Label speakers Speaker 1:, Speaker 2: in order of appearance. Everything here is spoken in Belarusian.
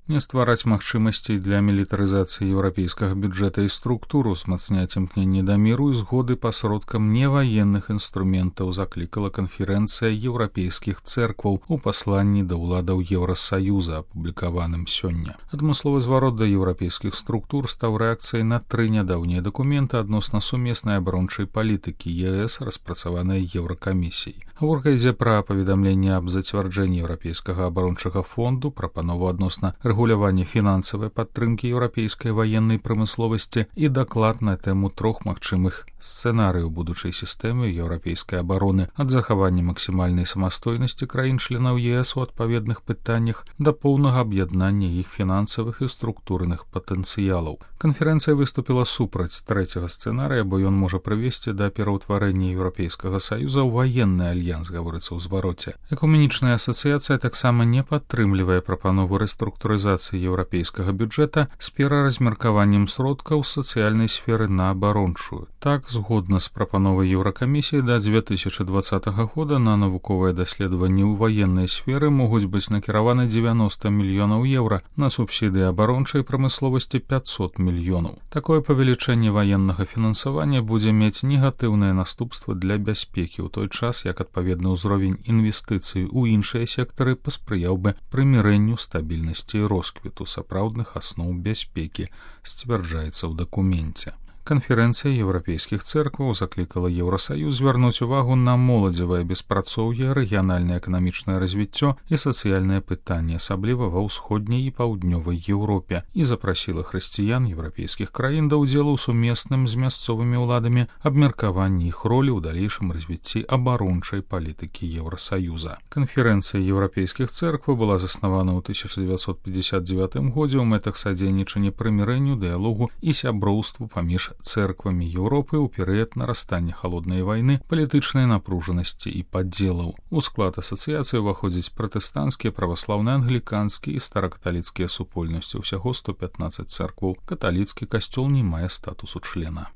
Speaker 1: не ствараць магчымасцей для мілітарызацыі еўрапейскага бюджэта і структуру, узмацняць імкненне да міру і згоды пасродкам неваенных інструментаў, заклікала канферэнцыя еўрапейскіх цэркваў у пасланні да ўладаў Еўрасаюза, апублікаваным сёння. Адмысловы зварот да еўрапейскіх структур стаў рэакцыяй на 3 нядаўнія дакументы адносна сумеснай абарончай палітыкі ЕС, распрацаванай Еўракамісіяй. Гаворка ідзе пра паведамленне аб зацвярджэнні еўрапейскага абарончага фонду, прапанову адносна рэгулявання фінансавай падтрымкі еўрапейскай ваеннай прамысловасці і даклад на тэму 3 магчымых сцэнарыяў будучай сістэмы еўрапейскай абароны, ад захавання максімальнай самастойнасці краін-членаў ЕС у адпаведных пытаннях да поўнага аб'яднання іх фінансавых і структурных патэнцыялаў. Канферэнцыя выступіла супраць 3-го сцэнарыя, бо ён можа прывесці да пераўтварэння Еўрапейскага саюза ў ваенны альянс, гаворыцца ў звароце. Экуменічная асацыяцыя таксама не падтрымлівае прапанову рэструктурызацыі еўрапейскага бюджэта з пераразмеркаваннем сродкаў з сацыяльнай сферы на абарончую. Так, згодна з прапановай Еўракамісіі, да 2020 года на навуковыя даследаванні ў ваеннай сферы могуць быць накіраваны 90 мільёнаў еўра, на субсідыі абарончай прамысловасці 500 мільёнаў. Такое павелічэнне ваеннага фінансавання будзе мець негатыўныя наступствы для бяспекі, у той час як адпаведны ўзровень інвестыцый у іншыя сектары паспрыяў бы прымірэнню, стабільнасці і росквіту сапраўдных асноў бяспекі, сцвярджаецца ў дакуменце. Канферэнцыя еўрапейскіх цэркваў заклікала Еўрасаюз звярнуць увагу на моладзевае беспрацоўе, рэгіянальнае эканамічнае развіццё і сацыяльнае пытанне, асабліва ва ўсходняй і паўднёвай Еўропе, і запрасіла хрысціян еўрапейскіх краін да ўдзелу ў сумесным з мясцовымі ўладамі абмеркаванні іх ролі ў далейшым развіцці абарончай палітыкі Еўрасаюза. Канферэнцыя еўрапейскіх цэркваў была заснавана ў 1959 годзе ў мэтах садзейнічання прымірэнню, дыялогу і сяброўству паміж цэрквамі Еўропы ў перыяд нарастання халоднай вайны, палітычнай напружанасці і падзелаў. У склад асацыяцыі ўваходзяць пратэстанцкія, праваслаўныя, англіканскія і старакаталіцкія супольнасці, усяго 115 цэркваў. Каталіцкі касцёл не мае статусу члена.